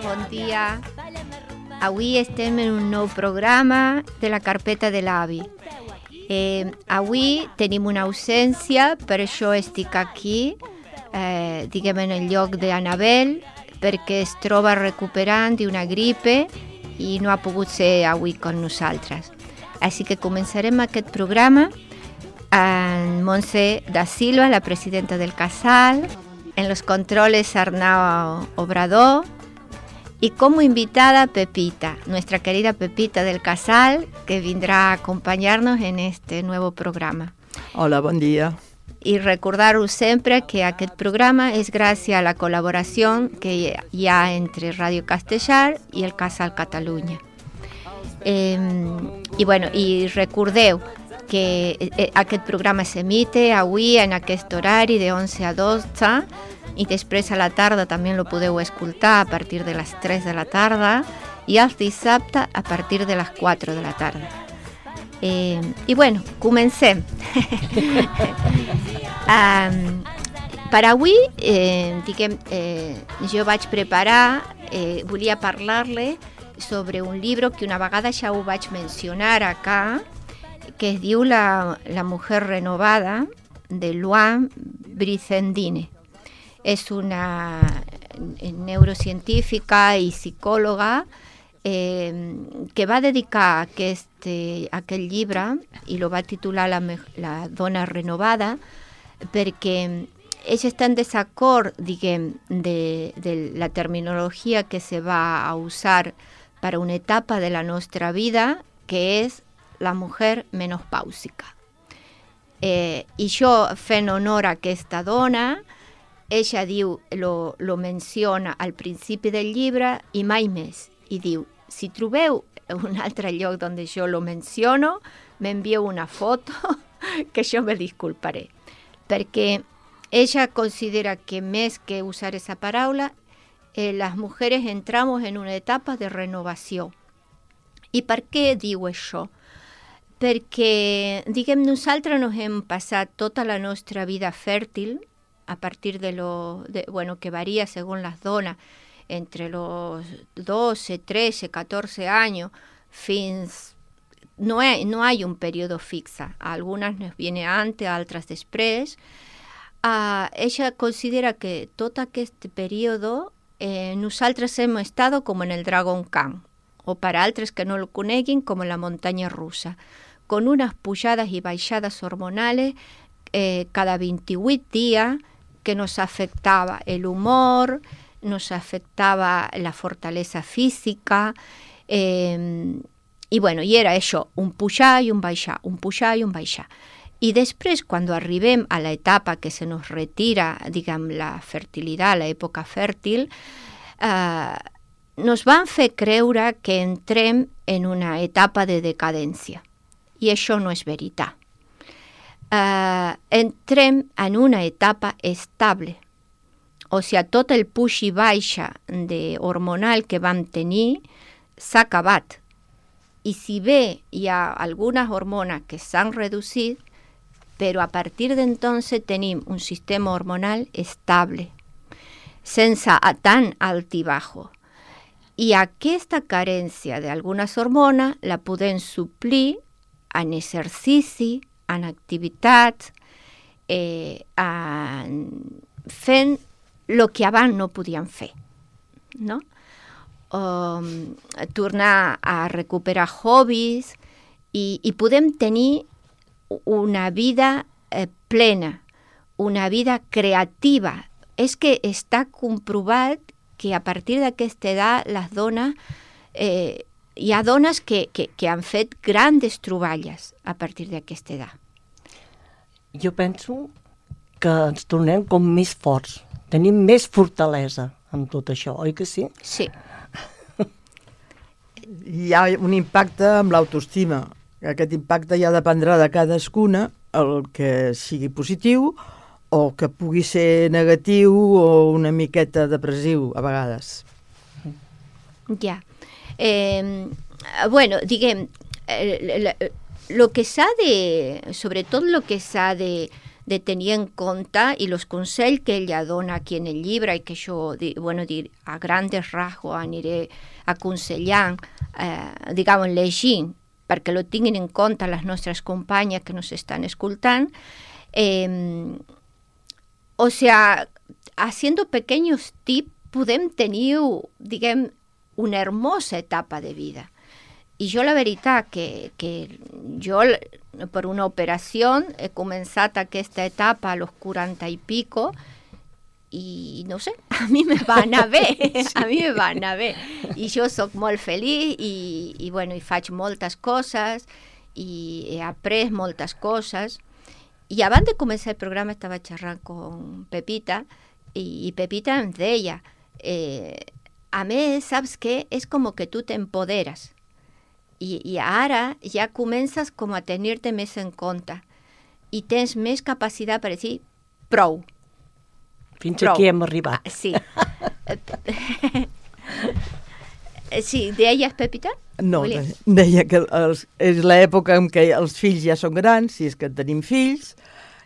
bon dia. Avui estem en un nou programa de la carpeta de l'avi. Avui tenim una ausència, per això estic aquí, diguem en el lloc d'Anabel, perquè es troba recuperant d'una gripe i no ha pogut ser avui con nosaltres. Així que començarem aquest programa amb Montse da Silva, la presidenta del Casal, en los controles Arnau Obrador y como invitada Pepita, nuestra querida Pepita del Casal, que vendrá a acompañarnos en este nuevo programa. Hola, bon dia. Y recordar-vos sempre que aquest programa és gràcies a la col·laboració que hi ha entre Radio Castellar i el Casal Catalunya. I recordeu que aquest programa s'emite avui en aquest horari de 11 a 12 i després a la tarda també lo podeu escoltar a partir de les 3 de la tarda i els dissabtes a partir de les 4 de la tarda. Comencem. Per avui, jo vaig preparar, volia parlar-li sobre un llibre que una vegada ja ho vaig mencionar acá, que es diu La mujer renovada, de Luan Brizendine. És una neurocientífica i psicòloga que va dedicar aquest llibre i lo va titular La dona renovada, perquè ella està en desacord, diguem, de la terminologia que se va a usar para una etapa de la nostra vida, que és la mujer menopàusica. I jo, fent honor a aquesta dona, ella diu, lo menciona al principi del llibre i mai més. I diu, si trobeu un altre lloc on jo lo menciono, m'envieu una foto que jo me disculparé. Perquè ella considera que més que usar esa paraula, las mujeres entramos en una etapa de renovació. I per què diu això? Perquè, diguem, nosaltres nos hem passat tota la nostra vida fèrtil, a partir que varia según las donas, entre los 12, 13, 14 años, fins... No hay un periodo fixa. A algunas nos viene antes, a altres després. Ella considera que tot aquest període nosaltres hem estat com en el Dragon Khan, o per altres que no lo coneguin, com en la muntanya russa, con unas pujadas y baixadas hormonales cada 28 días que nos afectaba el humor, nos afectaba la fortaleza física, i era això, un pujar i un baixar, un pujar i un baixar. I després, quan arribem a l'etapa que se nos retira, diguem, la fertilitat, l'època fèrtil, nos van fer creure que entrem en una etapa de decadència. I això no és veritat. Entrem en una etapa estable. O sigui, tot el puix i baixa hormonal que vam tenir s'ha acabat. I si bé hi ha algunes hormones que s'han reduït, però a partir d'entonces tenim un sistema hormonal estable, sense tant alt i baix. I aquesta carència d'algunes hormones la podem suplir en exercici, en activitat, fent el que abans no podíem fer, no? Tornar a recuperar hobbies i podem tenir una vida plena, una vida creativa. És que està comprovat que a partir d'aquesta edat les dones, hi ha dones que han fet grandes troballes a partir d'aquesta edat. Jo penso que ens tornem com més forts, tenim més fortalesa amb tot això, oi que sí? Sí. Hi ha un impacte amb l'autoestima. Aquest impacte ja dependrà de cadascuna, el que sigui positiu o que pugui ser negatiu o una miqueta depressiu a vegades. Ja. Diguem, lo que s'ha de, sobretot lo que s'ha de de tenir en compte i els consells que ella dona aquí en el llibre i que jo, a grandes rasgos aniré aconsellant, llegint, perquè lo tinguin en compte les nostres companyes que nos estan escoltant. O sea, haciendo pequeños tips podem tenir, diguem, una hermosa etapa de vida. I jo la veritat que jo per una operació he començat aquesta etapa a los 40 y pico i no sé, a mi me va anar bé, a mi me va anar bé. I jo soc molt feliç i faig moltes coses i he après moltes coses. I abans de començar el programa estava xerrant con Pepita i Pepita em deia, a més, saps què? És com que tu t'empoderes. I ara ja comences com a tenir-te més en compte i tens més capacitat per dir prou. Fins aquí hem arribat. Sí. Sí, deies, Pepita? No, deia que és l'època en què els fills ja són grans, si és que tenim fills,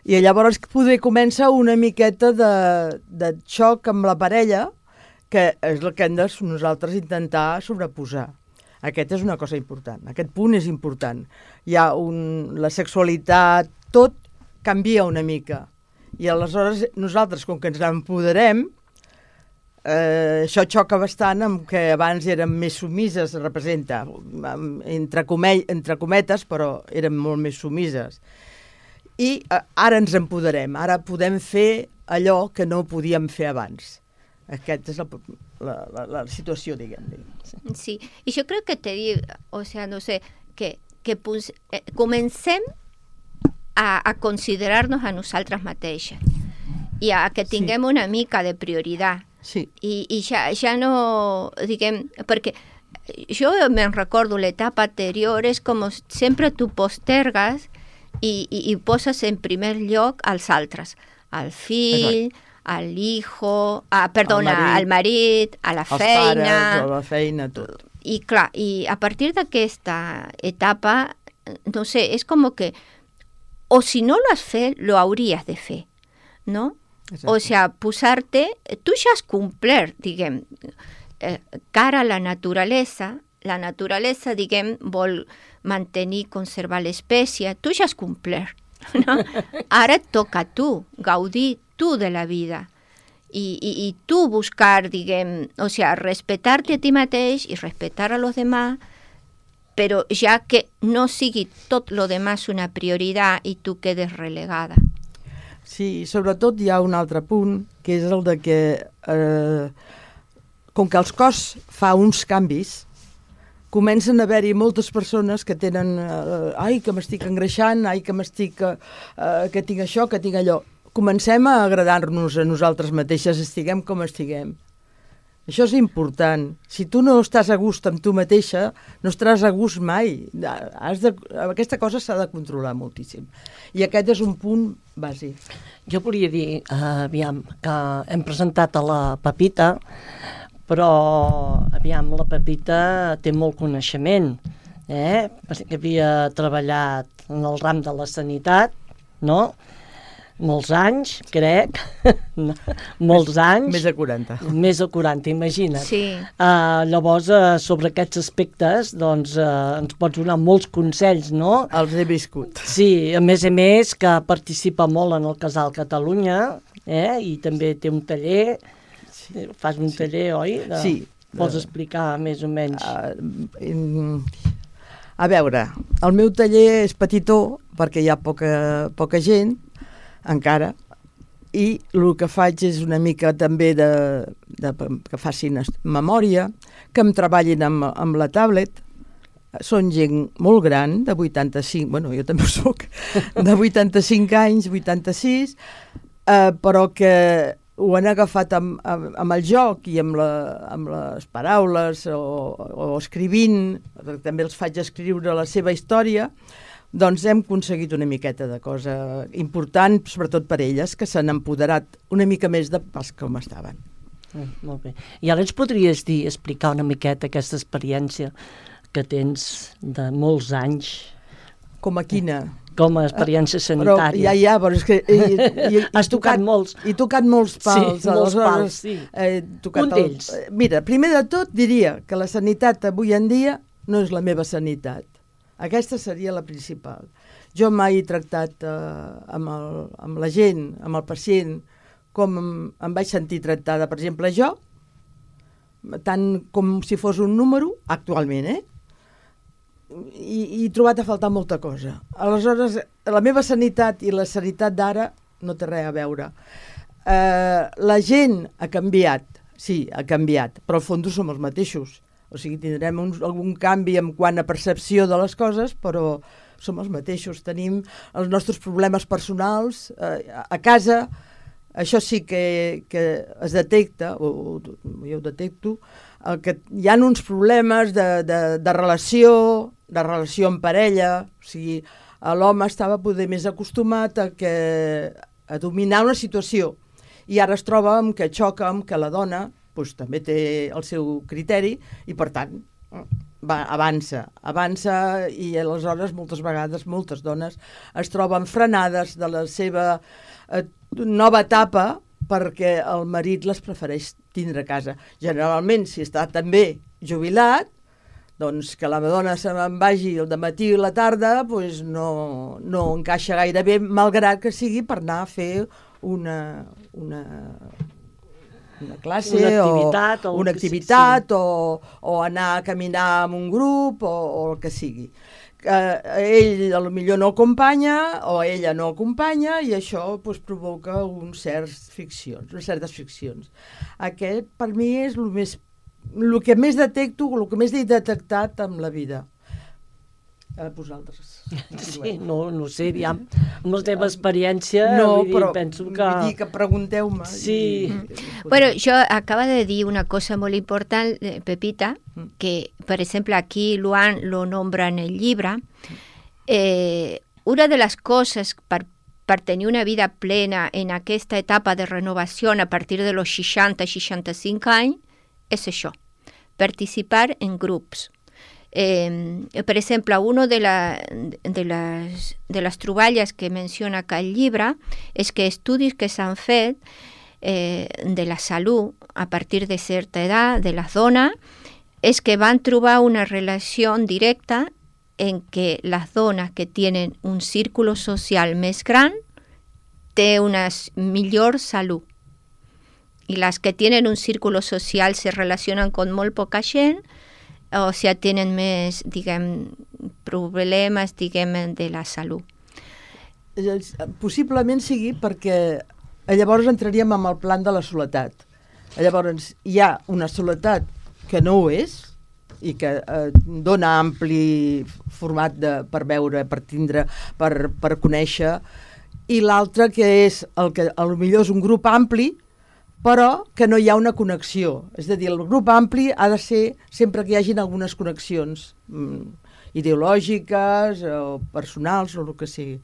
i llavors poder començar una miqueta de xoc amb la parella, que és el que hem de nosaltres intentar sobreposar. Aquest és una cosa important, aquest punt és important. La sexualitat, tot canvia una mica. I aleshores nosaltres, com que ens empoderem, això xoca bastant amb que abans érem més sumises, representa, entre cometes, però érem molt més sumises. I ara ens empoderem, ara podem fer allò que no podíem fer abans. Aquesta és la situació, diguem. Sí, i jo crec que que comencem a considerar-nos a nosaltres mateixes i a que tinguem una mica de prioritat. Sí. I ja no, diguem, perquè jo me'n recordo l'etapa anterior, és com sempre tu postergues i poses en primer lloc als altres, al fill, exacte, al hijo, al marit, a la feina... Els pares, a la feina, tot. I clar, i a partir d'aquesta etapa, no sé, és com que, o si no lo has fet, lo hauries de fer, no? Exacte. O sea, posar-te, tu ja has complert, diguem, cara a la naturalesa, diguem, vol mantenir, conservar l'espècie, tu ja has complert, no? Ara et toca a tu gaudir tu de la vida i tu buscar, diguem, o sea, respetar-te a ti mateix i respetar a los demás, però ja que no sigui tot lo demás una prioritat i tu quedes relegada. Sí, sobretot hi ha un altre punt, que és el de que com que el cos fa uns canvis, comencen a haver-hi moltes persones que tenen ai, que m'estic engreixant, ai, que tinc això, que tinc allò. Comencem a agradar-nos a nosaltres mateixes, estiguem com estiguem. Això és important. Si tu no estàs a gust amb tu mateixa, no estaràs a gust mai. Aquesta cosa s'ha de controlar moltíssim. I aquest és un punt bàsic. Jo volia dir, aviam, que hem presentat a la Pepita, però, aviam, la Pepita té molt coneixement, perquè havia treballat en el ram de la sanitat, no?, molts anys, crec, molts anys. Més de 40. Més de 40, imagina't. Sí. Llavors, sobre aquests aspectes, doncs, ens pots donar molts consells, no? Els he viscut. Sí, a més, que participa molt en el Casal Catalunya, i també té un taller, fas un taller, oi? Sí. Pots explicar més o menys? A veure, el meu taller és petitó, perquè hi ha poca gent, encara, i el que faig és una mica també que facin memòria, que em treballin amb la tablet. Són gent molt gran, de 85, bueno, jo també ho soc, de 85 anys, 86, però que ho han agafat amb el joc i amb les paraules o escrivint, també els faig escriure la seva història. Doncs hem aconseguit una miqueta de cosa important, sobretot per elles, que s'han empoderat una mica més de pas com estaven. Molt bé. I ara ens podries explicar una miqueta aquesta experiència que tens de molts anys? Com a quina? com a experiència sanitària. Però és que... Has tocat molts. He tocat molts pals. Sí, molts pals, sí. Un d'ells. Mira, primer de tot diria que la sanitat avui en dia no és la meva sanitat. Aquesta seria la principal. Jo mai he tractat amb la gent, amb el pacient, com em vaig sentir tractada. Per exemple, jo, tant com si fos un número, actualment, i he trobat a faltar molta cosa. Aleshores, la meva sanitat i la sanitat d'ara no té res a veure. La gent ha canviat, sí, ha canviat, però al fons som els mateixos. O sigui, tindrem algun canvi en quant a percepció de les coses, però som els mateixos. Tenim els nostres problemes personals a casa. Això sí que es detecta, o jo ho detecto, que hi ha uns problemes de relació amb parella. O sigui, l'home estava poder més acostumat a dominar una situació i ara es troba amb que xoca amb que la dona també té el seu criteri i, per tant, avança i aleshores moltes vegades moltes dones es troben frenades de la seva nova etapa perquè el marit les prefereix tindre a casa. Generalment, si està també jubilat, doncs que la dona se me'n vagi el dematí i la tarda doncs no encaixa gaire bé, malgrat que sigui per anar a fer una classe una activitat o anar a caminar amb un grup o el que sigui. Ell potser no acompanya o ella no acompanya i això provoca unes certes friccions. Aquest per mi és el que més detecto, el que més he detectat amb la vida. Vosaltres. Sí, no sé, aviam, amb la teva experiència, penso que... Vull dir que pregunteu-me. Sí. Bueno, yo acaba de decir una cosa muy importante, Pepita, que, por ejemplo, aquí Luan lo nombra en el libro. Una de las cosas para tener una vida plena en aquesta etapa de renovación a partir de los 60-65 años es això, participar en grups. Per exemple, una de les troballes que menciona acá el llibre és que estudis que s'han fet de la salut a partir de certa edat de les dones és que van trobar una relació directa en que les dones que tenen un círculo social més gran té una millor salut i les que tenen un círculo social se relacionen con molt poca gent o si tenen més, problemes, de la salut. Possiblement sigui perquè llavors entraríem en el plan de la soledat. Llavors hi ha una soledat que no ho és i que dona ampli format per veure, per tindre, per conèixer, i l'altra que és el que potser és un grup ampli però que no hi ha una connexió. És a dir, el grup ampli ha de ser sempre que hi hagin algunes connexions ideològiques o personals o el que sigui.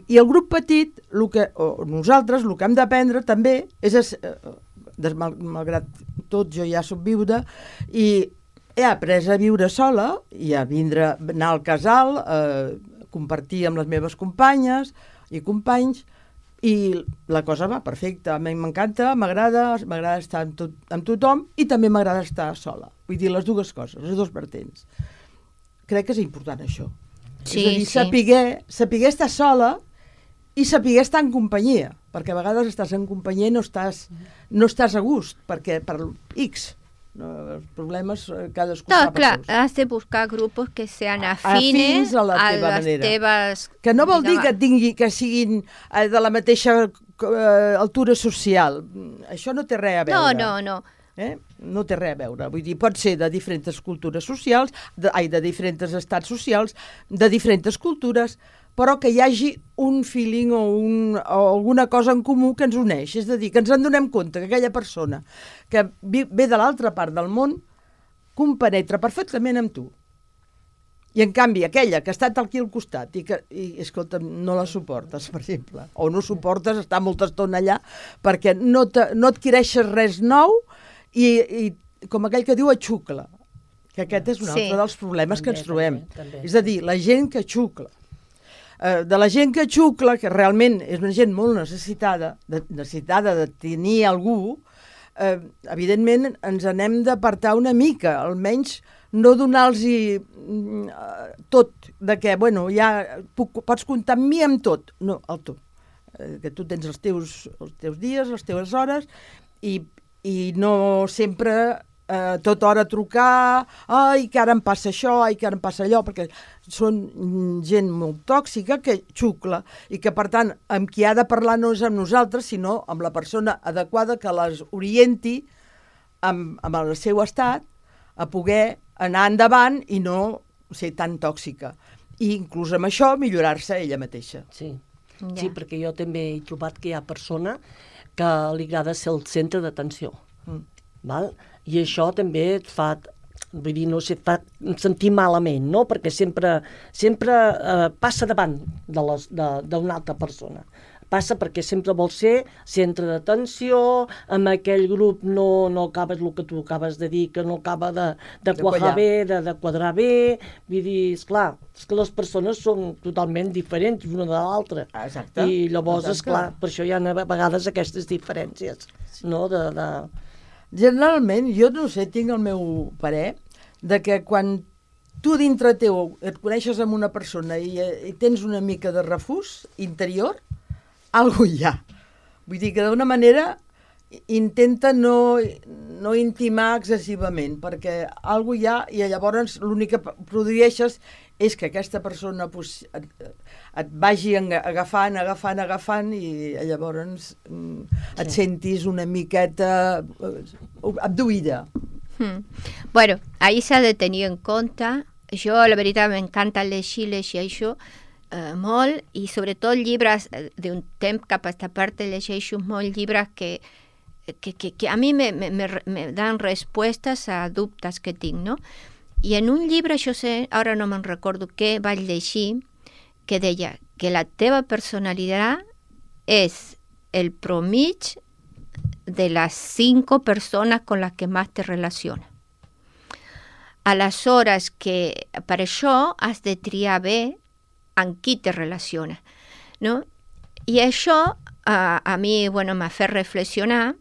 I el grup petit, nosaltres, el que hem d'aprendre també és, malgrat tot, jo ja soc viuda i he après a viure sola i a anar al casal, compartir amb les meves companyes i companys, i la cosa va perfecta. A mi m'encanta, m'agrada estar amb tothom i també m'agrada estar sola. Vull dir, les dues coses, les dues vertents. Crec que és important això. Sí, és a dir, saber estar sola i saber estar en companyia, perquè a vegades estàs en companyia i no estàs a gust, perquè per X. Els problemes cadascú no, sap clar, els has de buscar grupos que sean afines a les teves... Que no vol dir que siguin de la mateixa altura social. Això no té res a veure. No. No té res a veure. Vull dir, pot ser de diferents cultures socials, de diferents estats socials, de diferents cultures, però que hi hagi un feeling o alguna cosa en comú que ens uneix. És a dir, que ens en donem compte que aquella persona que ve de l'altra part del món compenetra perfectament amb tu. I en canvi, aquella que ha estat aquí al costat i escolta, no la suportes, per exemple, o no suportes estar molta estona allà perquè no adquireixes res nou i com aquell que diu xucla, que aquest és un altre dels problemes que ens trobem. És a dir, la gent que xucla. de la gent que xucla, que realment és una gent molt necessitada de tenir algú, evidentment ens n'hem d'apartar una mica, almenys no donar-los tot, de que, bueno, ja pots comptar amb mi amb tot. No, el tot. Que tu tens els teus dies, les teves hores, i no sempre tota hora trucar, ai, que ara em passa això, ai, que ara em passa allò, perquè són gent molt tòxica que xucla i que, per tant, amb qui ha de parlar no és amb nosaltres, sinó amb la persona adequada que les orienti amb el seu estat a poder anar endavant i no ser tan tòxica. I inclús amb això millorar-se ella mateixa. Sí. Sí, perquè jo també he trobat que hi ha persona que li agrada ser el centre d'atenció. Val? I això també et fa, vull dir, no sé, et fa sentir malament, no? Perquè sempre passa davant d'una altra persona. Passa perquè sempre vol ser centre d'atenció, amb aquell grup no acabes el que tu acabes de dir, que no acaba de quadrar bé, de quadrar bé. Vull dir, esclar, és que les persones són totalment diferents una de l'altra. Exacte. I llavors, esclar, per això hi ha a vegades aquestes diferències, no? Generalment, jo no sé, tinc el meu parer, de que quan tu dintre teu et coneixes amb una persona i tens una mica de refús interior, alguna hi ha. Vull dir que d'una manera intenta no intimar excessivament, perquè alguna hi ha i llavors l'únic que produeixes és que aquesta persona et vagi agafant i llavors et sentis una miqueta abduïda. Bueno, ahí s'ha de tenir en compte. Jo, la veritat, m'encanta llegir això molt, i sobretot llibres d'un temps cap a esta part llegeixo molts llibres que a mi me dan respostes a dubtes que tinc, no? I en un llibre, jo sé, ara no me'n recordo què vaig llegir, que deia que la teva personalitat és el promig de les 5 persones con les que més te relaciones. Aleshores, que per això has de triar bé amb qui te relaciones, no? I això a mi, bueno, m'ha fet reflexionar.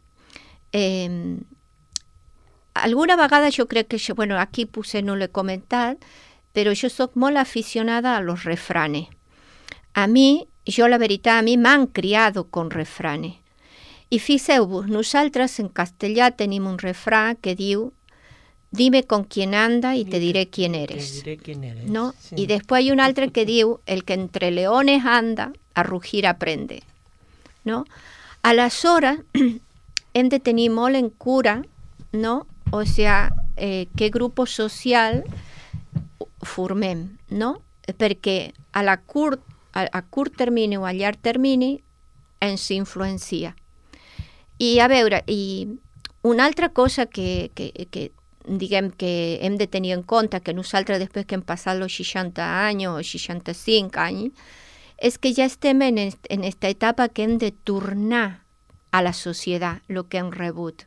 Alguna vegada jo crec que, bueno, aquí potser no l'he comentat, però jo soc molt aficionada a los refranes. A mi m'han criado con refranes. I fixeu-vos, nosaltres en castellà tenim un refrán que diu dime con quién anda y te diré quién eres. Te diré quién eres. ¿No? Sí. Y después hay un altre que diu el que entre leones anda, a rugir aprende. No? Aleshores, hem de tenir molt en cura, no? O sigui, què grup social formem, no? Perquè a curt termini o a llarg termini ens influencia. I a veure, i una altra cosa que diguem que hem de tenir en compte, que nosaltres després que hem passat els 60 anys o 65 anys, és que ja estem en esta etapa que hem de tornar a la societat el que hem rebut.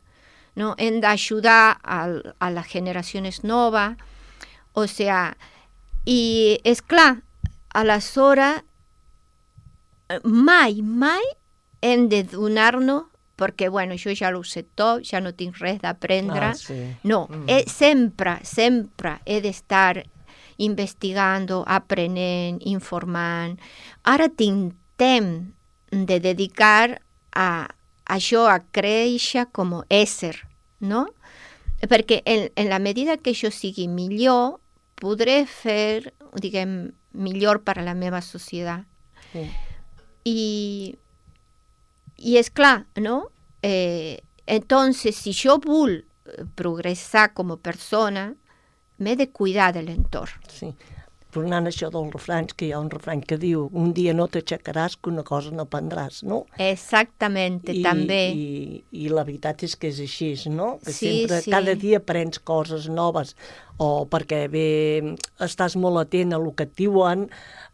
No? Hem d'ajudar a les generacions noves, o sigui, i és clar, aleshores mai hem de donar-nos, perquè, bueno, jo ja ho sé tot, ja no tinc res d'aprendre. Sí. No, sempre he d'estar investigant, aprenent, informant. Ara tinc temps de dedicar a això, a créixer com a ésser, no? Perquè en la medida que jo sigui millor, podré fer, diguem, millor per a la meva societat. Sí. I és clar, no? Entonces, si jo vull progressar com a persona, m'he de cuidar de l'entorn. Sí. Tornant a això dels refranys, que hi ha un refrany que diu un dia no t'aixecaràs que una cosa no prendràs, no? Exactament, també. I la veritat és que és així, no? Que sí, sempre, sí. cada dia aprens coses noves, o perquè bé estàs molt atent a el que et diuen,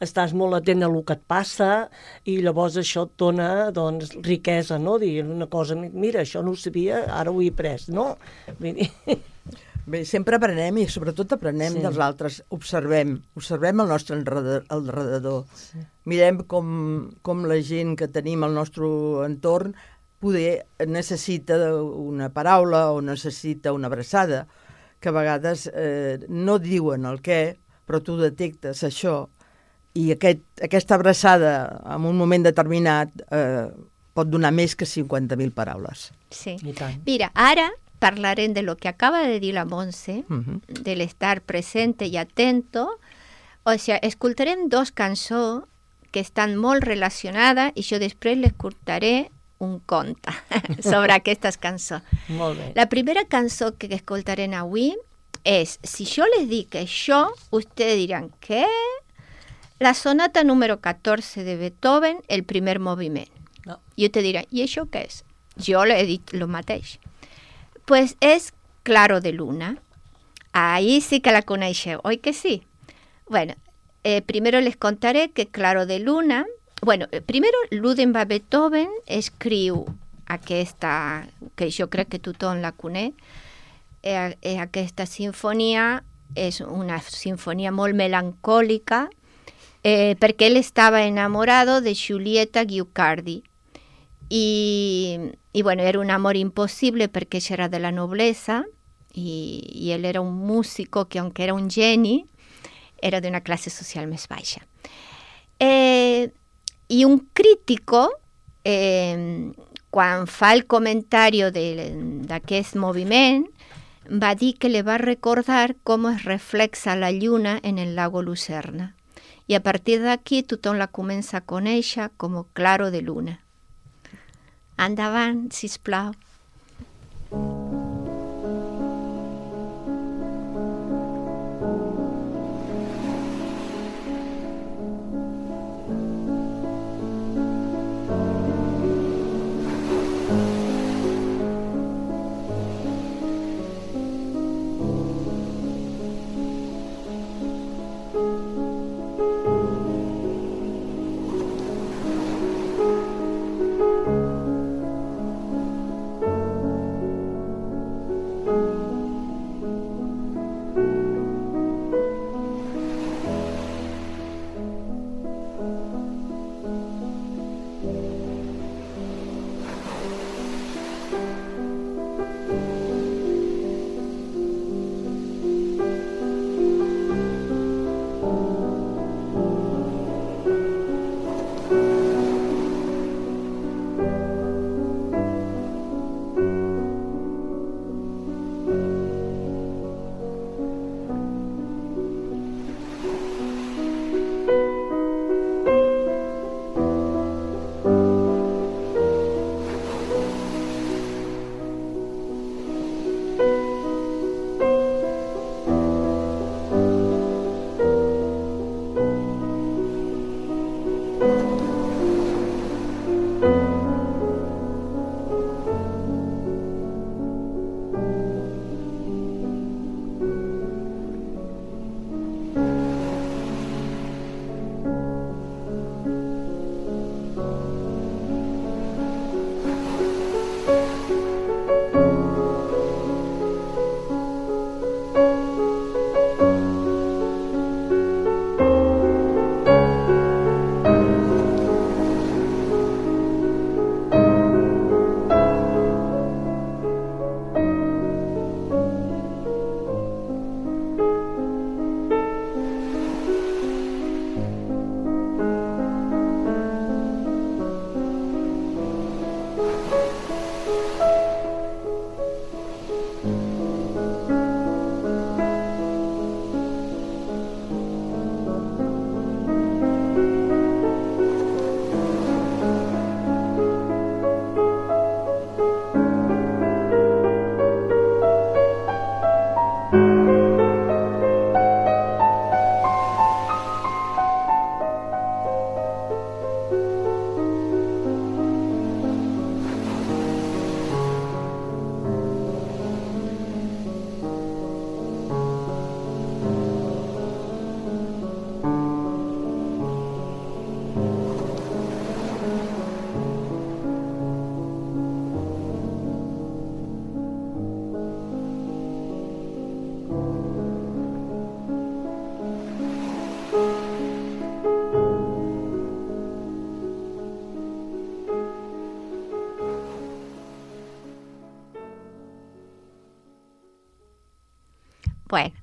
estàs molt atent a el que et passa, i llavors això et dona, doncs, riquesa, no? Dir una cosa, mira, això no ho sabia, ara ho he après, no? Vull dir... Bé, sempre aprenem i sobretot aprenem dels altres. Observem el nostre alrededor. Sí. Mirem com la gent que tenim al nostre entorn poder necessita una paraula o necessita una abraçada, que a vegades no diuen el què, però tu detectes això i aquesta abraçada en un moment determinat pot donar més que 50.000 paraules. Sí. Mira, ara hablarem de lo que acaba de dir la Montse, del estar presente y atento. O sea, escoltarem dos cançons que estan molt relacionades i jo després les contaré un conte sobre aquestes cançons. Molt bé. La primera cançó que escoltarem avui és, si jo les dic això, ustedes diran, ¿qué? La sonata número 14 de Beethoven, el primer moviment. No. I usted dirà, i això què és? Jo le he dit lo mateix. Pues és Claro de Luna. Ahí sí que la coneixeu, oi que sí? Bueno, primero les contaré que Claro de Luna... Bueno, primero Ludwig van Beethoven escriu aquesta, que jo crec que tothom la coneix, aquesta sinfonia és una sinfonia molt melancòlica perquè ell estava enamorado de Giulietta Guicciardi y bueno, era un amor imposible perquè ella era de la nobleza y él era un músico que aunque era un geni era de una classe social més baixa. I un crítico, quan fa el comentari d'aquest moviment, va dir que le va recordar com es reflexa la lluna en el lago Lucerna. I a partir d'aquí tothom la comença a conèixer com Claro de Luna. Endavant, sisplau. Bueno,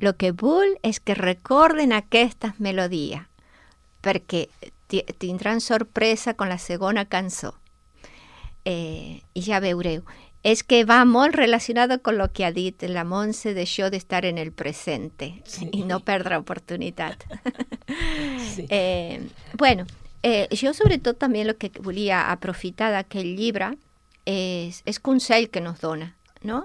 lo que vull és que recorden aquestes melodies, perquè tindran sorpresa con la segona cançó. I ja veureu. És que va molt relacionado con lo que ha dit la Montse d'això d'estar en el presente i no perdre oportunitat. Sí. Bueno, jo sobretot també el que volia aprofitar d'aquest llibre és consell que nos dona, no?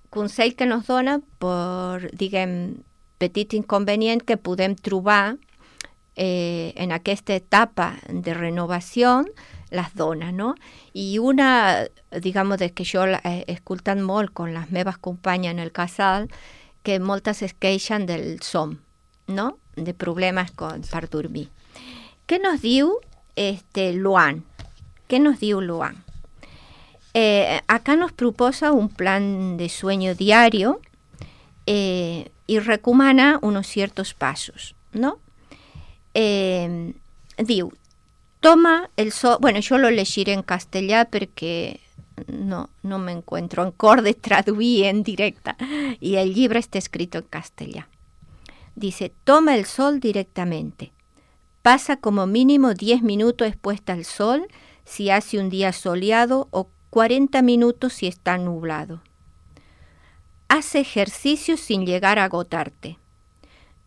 Consell que nos dona per, diguem, petit inconvenient que podem trobar en aquesta etapa de renovació les dones, no? I una, digamos, que jo he escoltat molt con les meves companyes en el casal, que moltes es queixen del son, no? De problemes per dormir. Què nos diu Luan? Què nos diu Luan? Acá nos proposa un plan de sueño diario y recomana unos ciertos pasos, ¿no? Diu, toma el sol... Bueno, yo lo llegiré en castellà perquè no me encuentro en cor de traduir en directa y el libro está escrito en castellà. Dice, toma el sol directamente. Pasa como mínimo 10 minutos expuesta al sol si hace un día soleado o 40 minutos si está nublado. Haz ejercicio sin llegar a agotarte.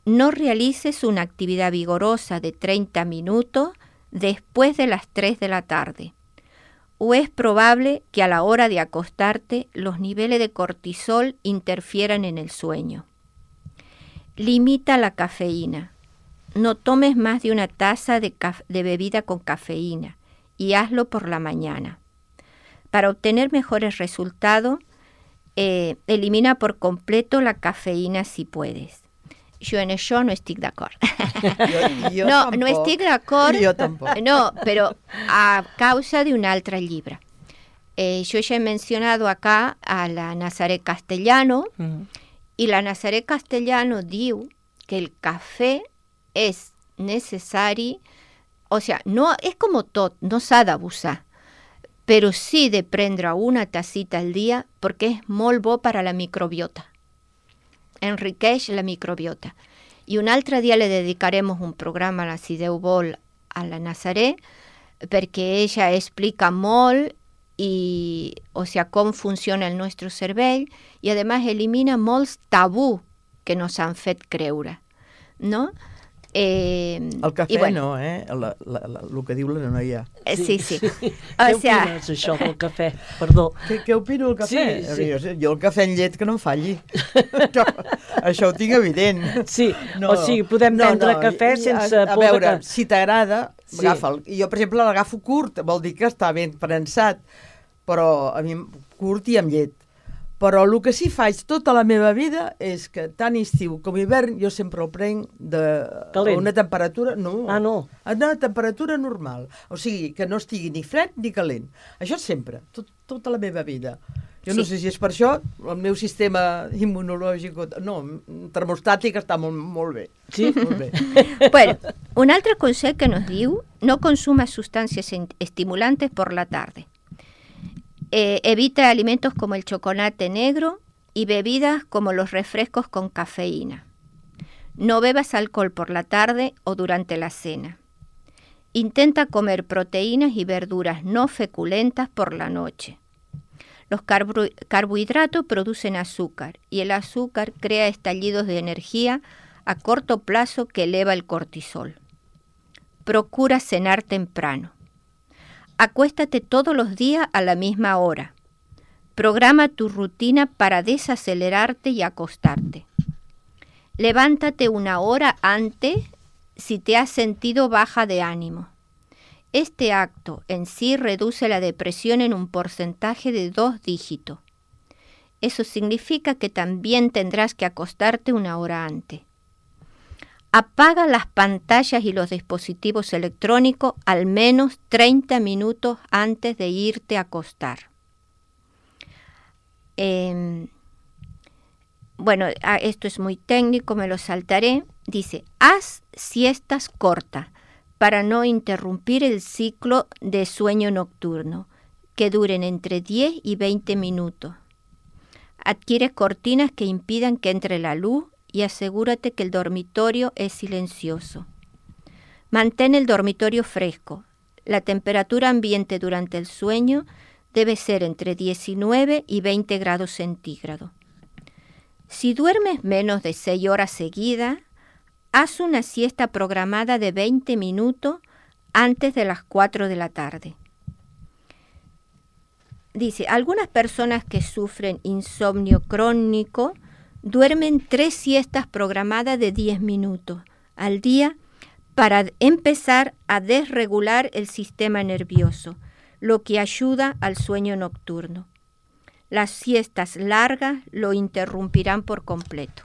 No realices una actividad vigorosa de 30 minutos después de las 3 de la tarde, o es probable que a la hora de acostarte los niveles de cortisol interfieran en el sueño. Limita la cafeína. No tomes más de una taza de bebida con cafeína y hazlo por la mañana. Para obtener mejores resultados, elimina por completo la cafeína si puedes. Jo en això no estic d'acord. Jo no, tampoc. no estic d'acord. Jo tampoc. No, però a causa d'un altre llibre. Jo ja he mencionado acá a la Nazaret Castellano, y la Nazaret Castellano diu que el cafè és necessari, o sea, no, és com tot, no s'ha d'abusar, però sí de prendre una tacita al dia perquè és molt bo per a la microbiota. Enriqueix la microbiota. I un altre dia le dedicarem un programa, si Déu vol, a la Nazaret, perquè ella explica molt o sea, com funciona el nostre cervell i, a més, elimina molts tabú que nos han fet creure, no? El cafè bueno, no, el que diu la noia. Sí. Què O sea, opines, això, del cafè? Perdó. Què opino del cafè? Sí. Jo el cafè en llet que no em falli. Això ho tinc evident. Sí, o sigui, podem prendre cafè sense a por veure, de que... si t'agrada, Sí. agafa'l. Jo, per exemple, l'agafo curt, vol dir que està ben prensat, però a mi curt i amb llet. Però el que sí faig tota la meva vida és que tant estiu com hivern jo sempre el prenc a una temperatura... No, Ah, no. a una temperatura normal. O sigui, que no estigui ni fred ni calent. Això sempre, tota la meva vida. Jo no sé si és per això, el meu sistema immunològic, no, termostàtic està molt bé. Sí? Molt bé. bueno, un altre consell que nos diu, no consumas sustancias estimulantes por la tarde. Evita alimentos como el chocolate negro y bebidas como los refrescos con cafeína. No bebas alcohol por la tarde o durante la cena. Intenta comer proteínas y verduras no feculentas por la noche. Los carbohidratos producen azúcar y el azúcar crea estallidos de energía a corto plazo que eleva el cortisol. Procura cenar temprano. Acuéstate todos los días a la misma hora. Programa tu rutina para desacelerarte y acostarte. Levántate una hora antes si te has sentido baja de ánimo. Este acto en sí reduce la depresión en un porcentaje de 2 dígitos. Eso significa que también tendrás que acostarte una hora antes. Apaga las pantallas y los dispositivos electrónicos al menos 30 minutos antes de irte a acostar. Bueno, esto es muy técnico, me lo saltaré. Dice, haz siestas cortas para no interrumpir el ciclo de sueño nocturno, que duren entre 10 y 20 minutos. Adquiere cortinas que impidan que entre la luz y asegúrate que el dormitorio es silencioso. Mantén el dormitorio fresco. La temperatura ambiente durante el sueño debe ser entre 19 y 20 grados centígrados. Si duermes menos de 6 horas seguidas, haz una siesta programada de 20 minutos antes de las 4 de la tarde. Dice, algunas personas que sufren insomnio crónico duermen 3 siestas programadas de 10 minutos al día para empezar a desregular el sistema nervioso, lo que ayuda al sueño nocturno. Las siestas largas lo interrumpirán por completo.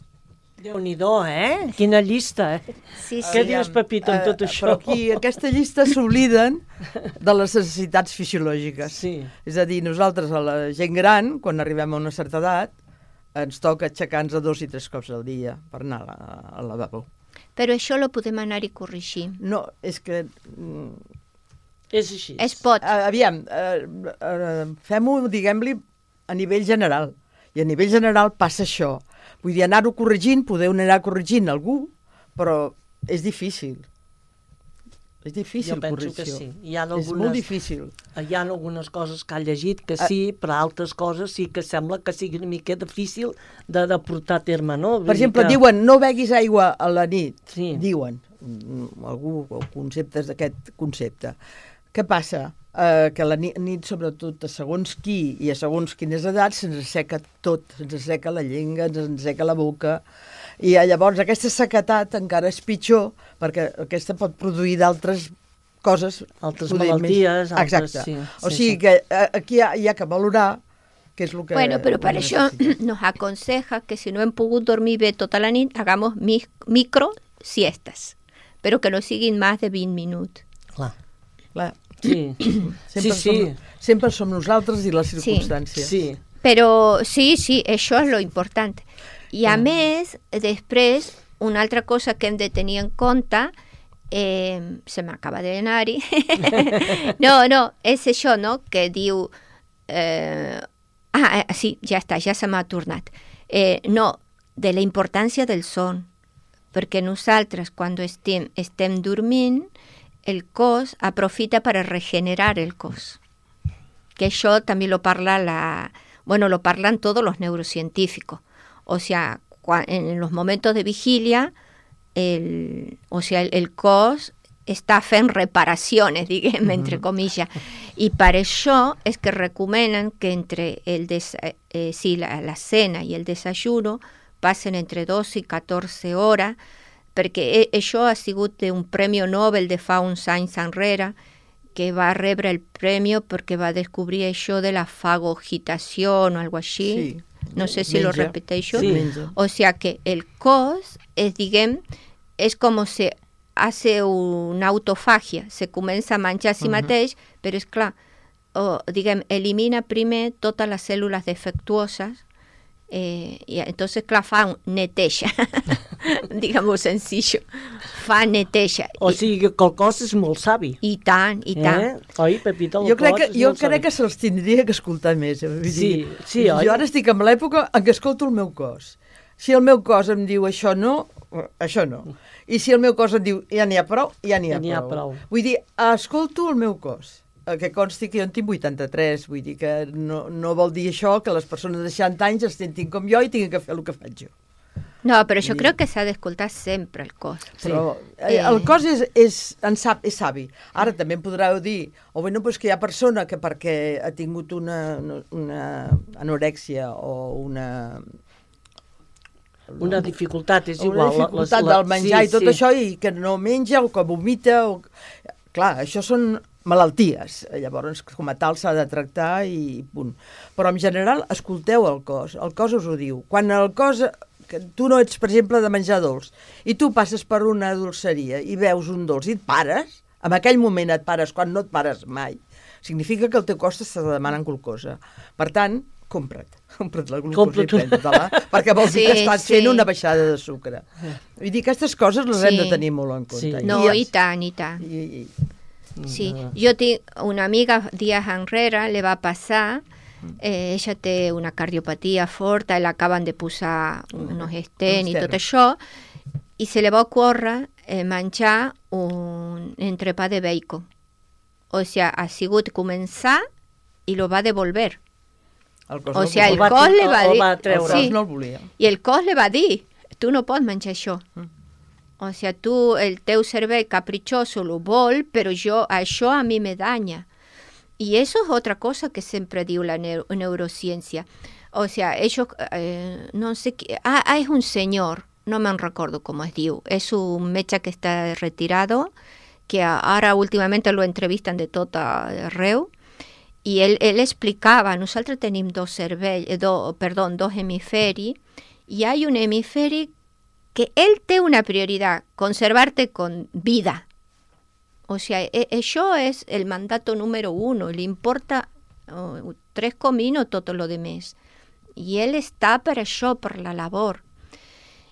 Déu-n'hi-do, Quina llista, Sí, sí. Què dius, Pepito, en tot això? Però aquí, aquesta llista s'obliden de les necessitats fisiològiques. Sí. És a dir, nosaltres, a la gent gran, quan arribem a una certa edat, ens toca aixecar-nos 2 i 3 cops al dia per anar al lavabo. Però això lo podem anar-hi corregint. No, és que... És així. Es pot. Aviam, fem-ho, diguem-li, a nivell general. I a nivell general passa això. Vull dir, anar-ho corregint, podeu anar corregint algú, però és difícil. És difícil corregir. Jo penso que sí. És molt difícil. Hi ha algunes coses que ha llegit que sí, però altres coses sí que sembla que sigui una mica difícil de portar a terme, no? Per exemple, diuen, no beguis aigua a la nit. Sí. Diuen, algú, conceptes d'aquest concepte. Què passa? Que la nit, sobretot a segons qui i a segons quines edats, se'ns asseca tot, se'ns asseca la llengua, se'ns asseca la boca, i llavors aquesta sequedat encara és pitjor, perquè aquesta pot produir d'altres coses. Altres malalties. Exacte. Sí, o sigui que aquí hi ha que valorar què és el que... Bueno, però per això nos aconseja que si no hem pogut dormir bé tota la nit, hagamos micro siestas, però que no siguin més de 20 minuts. Clar. Sí. Sempre som nosaltres i les circumstàncies. Sí. Però sí, això és lo important. I a més, després, una altra cosa que hem de tenir en compte, se m'acaba d'anar-hi, no, és això, no?, que diu... sí, ja està, ja se m'ha tornat. No, de la importància del son, perquè nosaltres, quan estem dormint, el cos aprofita para regenerar el cos. Que eso también lo parlan todos los neurocientíficos. O sea, en los momentos de vigilia, el cos està fent reparaciones, diguem, entre comillas. Y para eso es que recomiendan que entre la cena y el desayuno pasen entre 12 y 14 horas, perquè això ha sigut un Premi Nobel de fa uns anys enrere, que va rebre el premi perquè va descobrir això de la fagocitació o algo així. Sí. No sé si lo repeteixo. Sí. O sea que el cos és com si hace una autofagia, se comença a menjar a si mateix, però és clar, elimina primer totes les cèl·lules defectuoses, y entonces clar, fa un neteja, digamos sencillo, fa neteja. O sigui que el cos és molt savi. I tant. Oi, Pepita, jo crec que se'ls tindria que escoltar més. Sí, oi? Jo ara estic en l'època en què escolto el meu cos. Si el meu cos em diu això no. I si el meu cos em diu ja n'hi ha prou, ja n'hi ha prou. Vull dir, escolto el meu cos. Que consti que jo en tinc 83, vull dir que no vol dir això que les persones de 60 anys es sentin com jo i tinguin que fer el que faig jo. No, però jo crec que s'ha d'escoltar sempre el cos. Però el cos és savi. Ara també em podreu dir, pues que hi ha persona que perquè ha tingut una anorèxia o una dificultat, és igual. Una dificultat del menjar i tot això, i que no menja o que vomita. Clar, això són malalties, llavors com a tal s'ha de tractar i punt. Però en general escolteu el cos us ho diu. Quan el cos, que tu no ets, per exemple, de menjar dolç, i tu passes per una dolceria i veus un dolç i et pares, en aquell moment et pares, quan no et pares mai, significa que el teu cos t'està demanant glucosa. Per tant, compra't la glucosa i pren-te-la, perquè vol dir que estàs fent una baixada de sucre. Vull dir, aquestes coses les hem de tenir molt en compte. No, i tant. Sí, jo tinc una amiga dies enrere, le va passar ella té una cardiopatia forta, l'acaben de posar unos stents i tot estèrns. això, i se li va ocórrer menjar un entrepà de bacon. O sigui, ha sigut començar i lo va devolver. El cos O no sigui, el volia. cos li va el dir... va treure. El Sí, cos no el volia. i el cos li va dir, tu no pots menjar això. O sigui, tu, el teu cervell capritxoso lo vol, però això a mi me daña. Y eso es otra cosa que siempre digo la neurociencia. O sea, ellos, no sé qué, es un señor, no me recuerdo cómo es diu, es un mecha que está retirado, que ahora últimamente lo entrevistan de tot arreu, y él explicaba, nosotros tenemos dos hemisferis, y hay un hemisferio que él tiene una prioridad, conservarte con vida. O sea, eso es el mandato número 1, le importa 3 comino todo lo demás. Y él está per això, per la labor.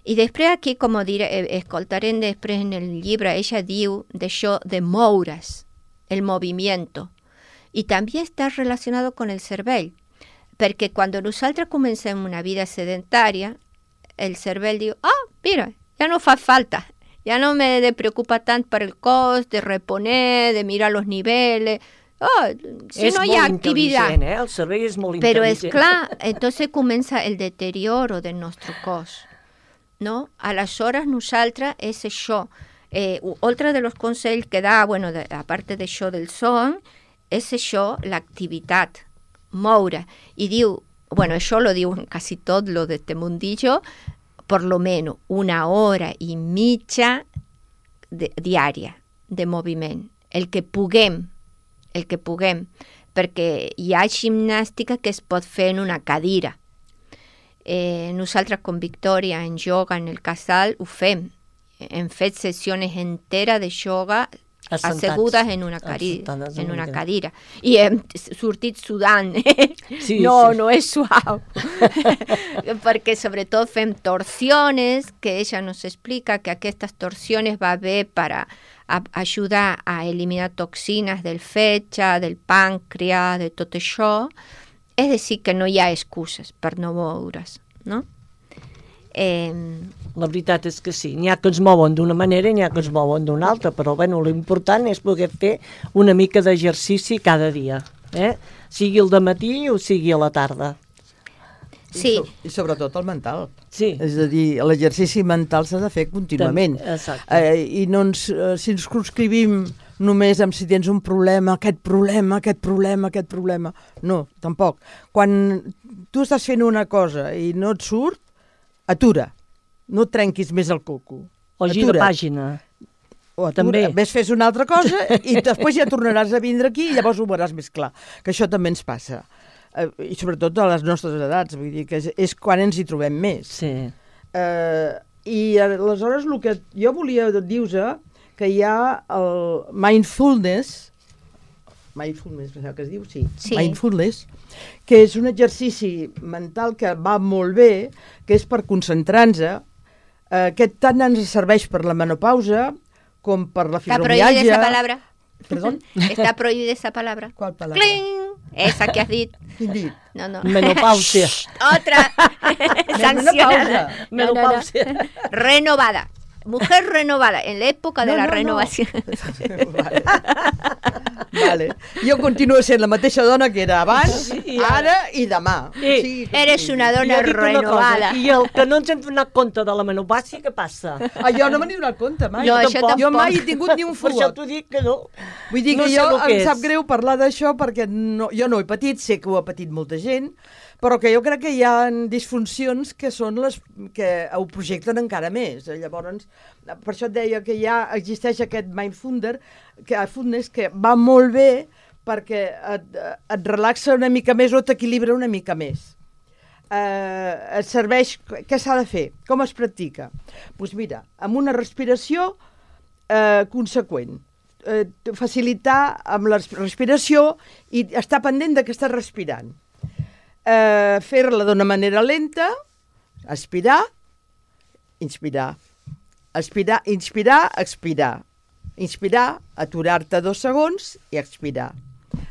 I després aquí, com escoltarem després en el llibre, ella diu d'això de moure's, el movimiento. I també està relacionado con el cervell, perquè quan nosaltres comencem una vida sedentària, el cervell diu, mira, ja no fa falta, ya no me preocupa tanto para el cos, de reponer, de mirar los niveles. Si no hay actividad. El cervell és molt Pero es intel·ligent. claro, entonces comienza el deterioro de nuestro cos, ¿no? A las horas nosaltres és això. Otro de los consejos que da, bueno, aparte de això del son, és això, l'activitat, moure. I diu, bueno, això lo diu en casi tot lo de este mundillo, por lo menos 1 hora i mitja diària de moviment, el que puguem, perquè hi ha gimnàstica que es pot fer en una cadira. Nosaltres con Victoria en yoga en el casal ho fem, hem fet sessions enteres de yoga assegudes en una cadira. I hem sortit sudant. Sí, no és suau. Perquè sobretot fem torsiones, que ella nos explica que aquestes torsiones va bé per ajudar a eliminar toxines del fetge, del pàncreas, de tot això. És a dir, que no hi ha excuses per no moure's, no? La veritat és que sí, n'hi ha que es mouen d'una manera i n'hi ha que es mouen d'una altra, però bueno, l'important és poder fer una mica d'exercici cada dia, sigui el dematí o sigui a la tarda. Sí. I sobretot el mental. Sí. És a dir, l'exercici mental s'ha de fer contínuament. Exacte. I no si ens conscrivim només amb si tens un problema, aquest problema. No, tampoc. Quan tu estàs fent una cosa i no et surt, atura. No et trenquis més el coco. O gira pàgina. O atura. També. Ves, fes una altra cosa i després ja tornaràs a vindre aquí i llavors ho veuràs més clar. Que això també ens passa. I sobretot a les nostres edats, vull dir que és quan ens hi trobem més. Sí. I aleshores el que jo volia dir-vos que hi ha el mindfulness, penseu que es diu? Sí. Mindfulness, que és un exercici mental que va molt bé, que és per concentrar-nos, que tant ens serveix per la menopausa com per la fibromialgia. ¿Está prohibida esa palabra? ¿Perdón? ¿Está prohibida esa palabra? ¿Cuál palabra? ¡Cling! Esa que has dicho. No. Menopausia. Otra. Sancionada. Menopausia. Renovada. Mujer renovada, en la época de la renovación. Vale. Jo continuo sent la mateixa dona que era abans, ara i demà. Sí. Eres una dona renovada. I el que no ens hem donat compte de la menopàusia, què passa? Jo no me n'he donat compte mai. No, això tampoc. Jo mai he tingut ni un Per això fuet. t'ho dic que no. Vull dir No que sé jo el que em sap és. greu parlar d'això perquè jo no ho he patit, sé que ho ha patit molta gent, però que jo crec que hi ha disfuncions que són les que ho projecten encara més. Llavors, per això et deia que ja existeix aquest mindfulness que va molt bé perquè et relaxa una mica més o t'equilibra una mica més. Et serveix... Què s'ha de fer? Com es practica? Doncs mira, amb una respiració conseqüent. Facilitar amb la respiració i estar pendent de que estàs respirant. Fer-la d'una manera lenta, aspirar, inspirar. Inspirar, expirar. Inspirar, aturar-te 2 segons i expirar.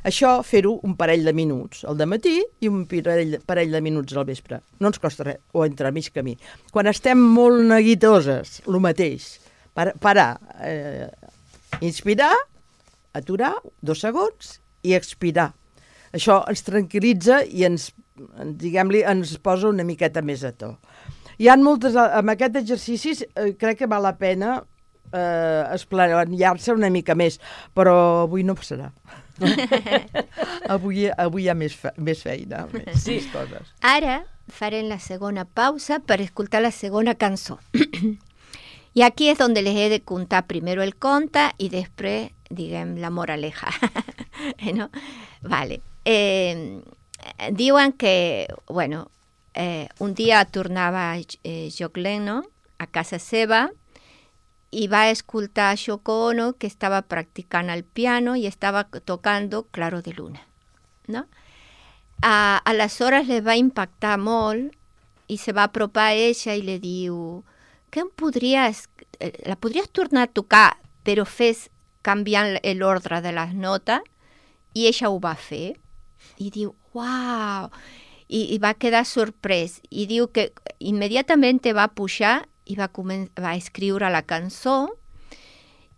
Això fer-ho un parell de minuts al dematí i un parell de minuts al vespre. No ens costa res, o entre mig camí. Quan estem molt neguitoses, el mateix, parar, inspirar, aturar 2 segons i expirar. Això ens tranquil·litza i ens posa una miqueta més a to. Hi ha moltes, amb aquests exercicis crec que val la pena esplaiar-se una mica més, però avui no passarà. Avui hi ha més feina, més coses. Ara farem la segona pausa per escoltar la segona cançó. I aquí és on les he de contar primero el conte i després, diguem, la moraleja. ¿No? Vale. Diuen que, bueno, un dia tornava John Lennon a casa seva i va escoltar a Yoko Ono, que estava practicant el piano i estava tocando Claro de Luna, no? Aleshores li va impactar molt i se va apropar a ella i li diu que la podries tornar a tocar, però fes canviant l'ordre de les notes, i ella ho va fer. I diu, uau! I va quedar sorprès. I diu que immediatament va pujar i va escriure la cançó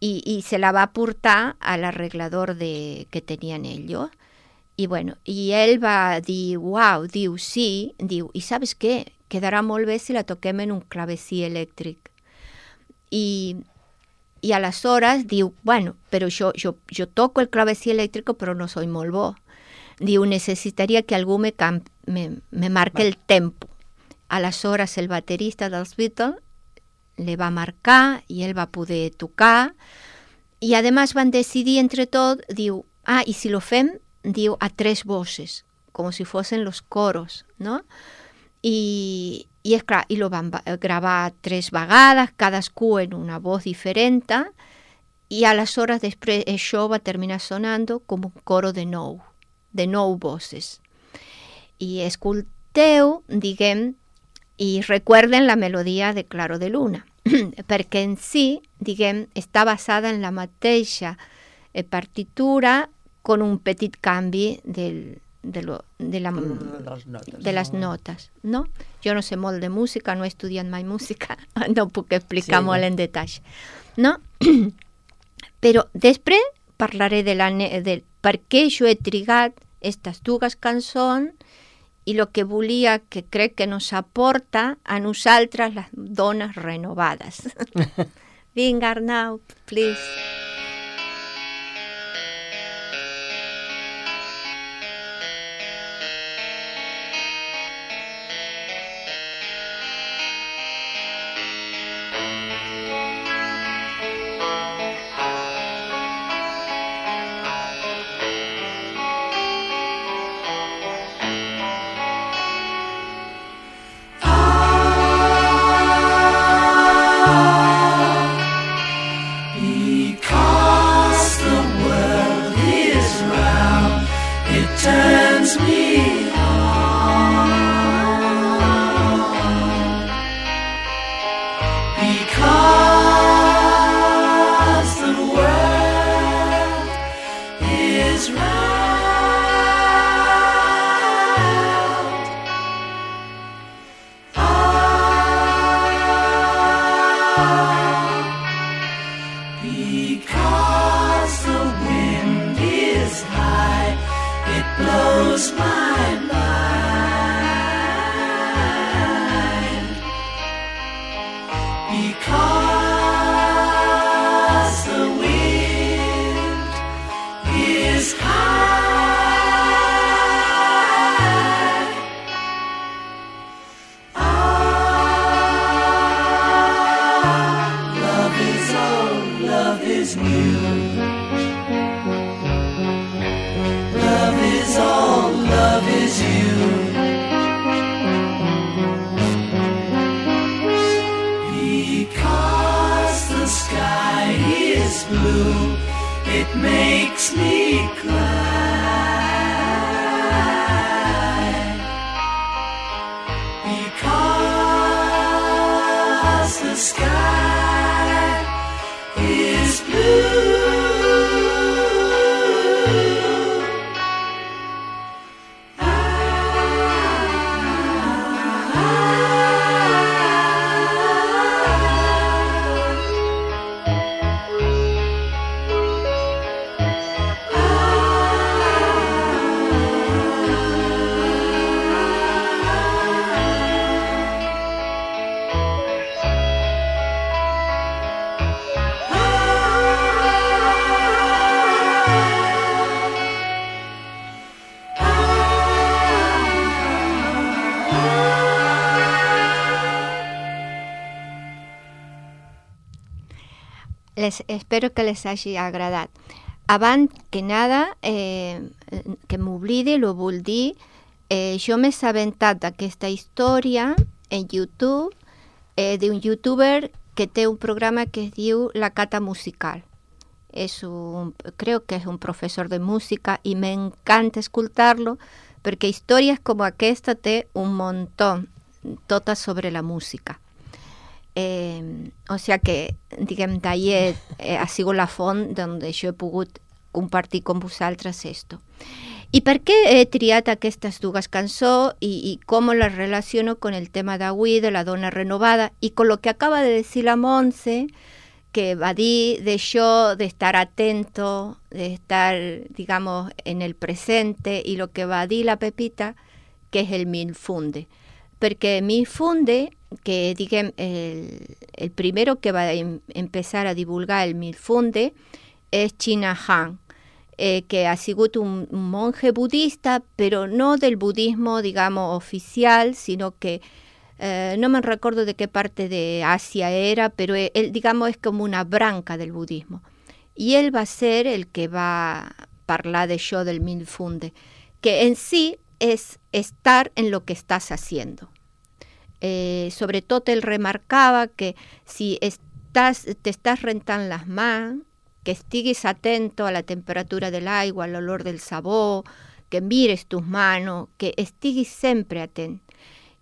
i se la va portar a l'arreglador que tenien ells. I bueno, i ell va dir, uau, diu, sí, diu, i saps què? Quedarà molt bé si la toquem en un clavecí elèctric. I aleshores diu, bueno, però jo toco el clavecí elèctric, però no soy molt bo. Diu, necessitaria que algú me marque el tempo. Aleshores el baterista dels Beatles le va marcar i ell va poder tocar. I a més van decidir entre tot, diu, i si lo fem, diu, a 3 voces, com si fossin los coros, no? I és clar, i lo van gravar 3 vegades, cadascú en una voz diferent, i aleshores després això va terminar sonando com un coro de 9 voces. I escolteu, diguem, i recuerden la melodia de Claro de Luna, perquè en si, diguem, està basada en la mateixa partitura con un petit canvi de les notes, no? Jo no sé molt de música, no he estudiat mai música, no puc explicar molt en detall, no? Però després parlaré de per què jo he trigat aquestes 2 cançons i el que volia, que crec que nos aporta a nosaltres les dones renovades. Vinga, Arnau, please. espero que les hagi agradat. Abans que nada, que m'oblidi, lo vull dir, jo m'he assabentat d'aquesta història en YouTube d'un youtuber que té un programa que es diu La Cata Musical. Creo que es un profesor de música y me encanta escoltar-lo perquè històries com aquesta té un muntó, totes sobre la música. O sigui que, diguem, d'ahir ha sigut la font on jo he pogut compartir amb vosaltres esto. I per què he triat aquestes dues cançons i com les relaciono con el tema d'avui de la dona renovada i con lo que acaba de decir la Montse, que va dir d'això, d'estar atento, d'estar, digamos, en el presente, i lo que va dir la Pepita, que és el Milfunde. Perquè Milfunde, que diguem, el primero que va a empezar a divulgar el Milfunde és China Han, que ha sigut un monje budista, però no del budismo, digamos, oficial, sino que no me recuerdo de qué parte de Asia era, pero él, digamos, es como una branca del budismo. Y él va a ser el que va a parlar d'això del Milfunde, que en sí es estar en lo que estás haciendo. Sobre todo él remarcaba que si te estás rentant las mans, que estiguis atento a la temperatura del aigua, al olor del sabó, que mires tus manos, que estiguis sempre atent.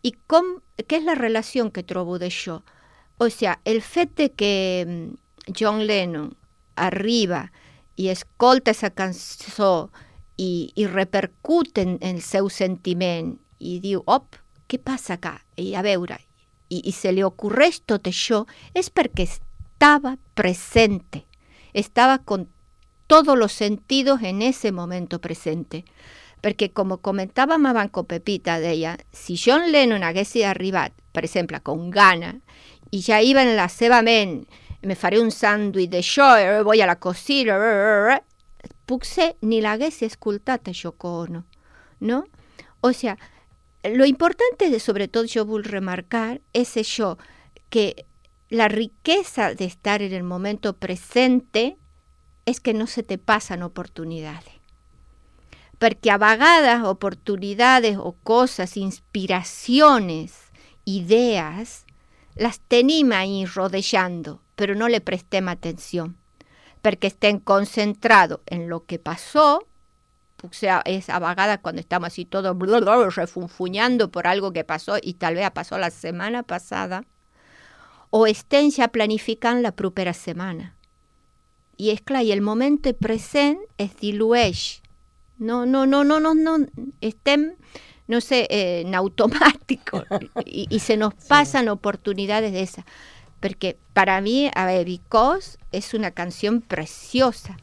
I què és la relació que trobo d'això? O sigui, el fet de que John Lennon arriba i escolta aquesta cançó i repercute en el seu sentiment i diu, què passa acá? I a veure, i se li ocorreix tot això, és perquè estava presente, estava con todos los sentidos en ese momento presente. Perquè, com comentàvem abans con Pepita, deia, si John Lennon hagués arribat, per exemple, con gana, i ja iba en la seva ment, me faré un sàndwich d'això, voy a la cocina, potser ni l'hagués escoltat a Yoko Ono, no? O sigui, lo importante, sobretot jo vull remarcar, és això, que la riqueza de estar en el momento presente és que no se te pasan oportunidades. Perquè a vegades oportunidades o coses, inspiracions, idees, les tenim ahí rodejando, però no le prestem atenció, perquè estem concentrados en lo que pasó. O sea, es a vegades cuando estamos así todos refunfuñando por algo que pasó y tal vez pasó la semana pasada, o estén ja planificant la propera setmana. I és clar, i el moment present es dilueix. No, estem, no sé, en automático y se nos pasan oportunidades de esas. Porque para mí, a ver, Because es una canción preciosa.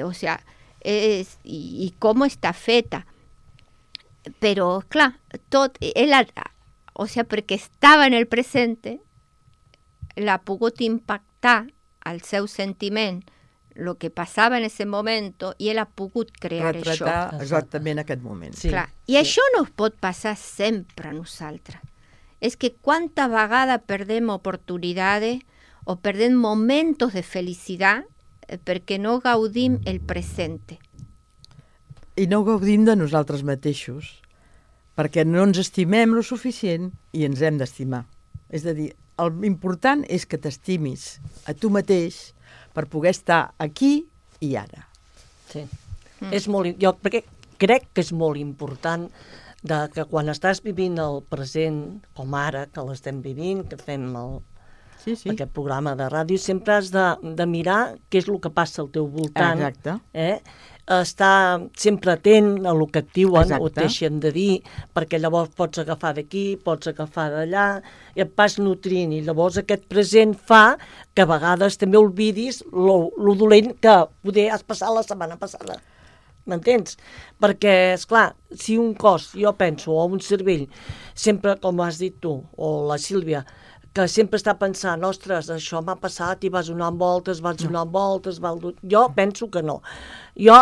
O sea, y cómo está feta. Pero, clar, tot, o sea, perquè estava en el presente, l'ha pogut impactar al seu sentiment el que passava en ese moment i ell ha pogut crear això. Retratar exactament aquest moment. Sí. Clar. I això no pot passar sempre a nosaltres. És que quanta vegada perdem oportunitats o perdem momentos de felicitat perquè no gaudim el presente. I no gaudim de nosaltres mateixos, perquè no ens estimem lo suficient i ens hem d'estimar. És a dir, l'important és que t'estimis a tu mateix per poder estar aquí i ara. Sí. És molt, jo crec que és molt important que quan estàs vivint el present, com ara, que l'estem vivint, que fem aquest programa de ràdio, sempre has de mirar què és el que passa al teu voltant. Exacte. Estar sempre atent a el que et diuen o et deixen de dir, perquè llavors pots agafar d'aquí, pots agafar d'allà, i et vas nutrint, i llavors aquest present fa que a vegades també oblidis lo dolent que poder has passat la setmana passada. M'entens? Perquè, esclar, si un cos, jo penso, o un cervell, sempre, com has dit tu, o la Sílvia, que sempre està pensant, ostres, això m'ha passat i vas donant voltes, jo penso que no. Jo